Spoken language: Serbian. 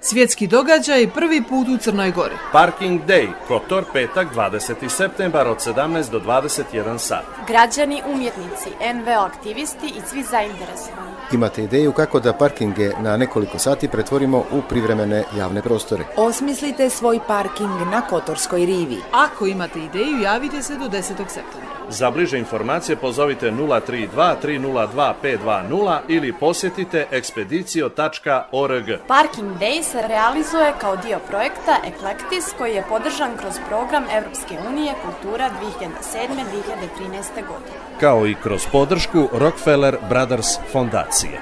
Svjetski događaj prvi put u Crnoj Gori. Parking Day, Kotor, petak 20. septembar od 17 do 21 sat. Građani, umjetnici, NVO aktivisti i svi zainteresovani. Imate ideju kako da parkinge na nekoliko sati pretvorimo u privremene javne prostore? Osmislite svoj parking na Kotorskoj rivi. Ako imate ideju, javite se do 10. septembra. Za bliže informacije pozovite 032 302 520 ili posjetite ekspedicio.org. Parking Day se realizuje kao dio projekta Eklektis koji je podržan kroz program Evropske unije Kultura 2007-2013. godine. Kao i kroz podršku Rockefeller Brothers fondacije.